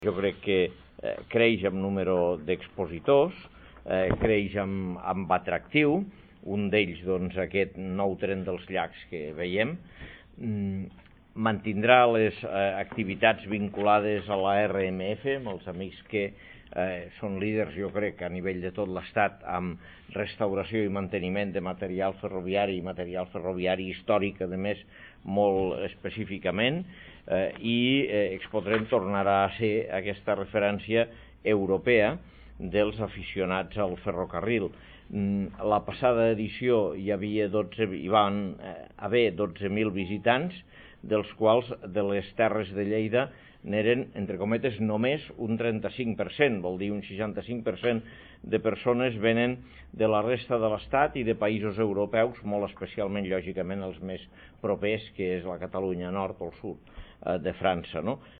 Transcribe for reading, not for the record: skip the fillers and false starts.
Jo crec que creix amb número d'expositors, creix amb atractiu, un d'ells, doncs, aquest nou tren dels llacs que veiem, mantindrà les activitats vinculades a la RMF, amb els amics que són líders, jo crec, a nivell de tot l'Estat, amb restauració i manteniment de material ferroviari i material ferroviari històric, a més, molt específicament, i Expotren tornarà a ser aquesta referència europea dels aficionats al ferrocarril. La passada edició hi van haver 12.000 visitants, dels quals de les Terres de Lleida n'eren, entre cometes, només un 35%, vol dir un 65% de persones venen de la resta de l'Estat i de països europeus, molt especialment, lògicament, els més propers, que és la Catalunya nord o el sud de França, no?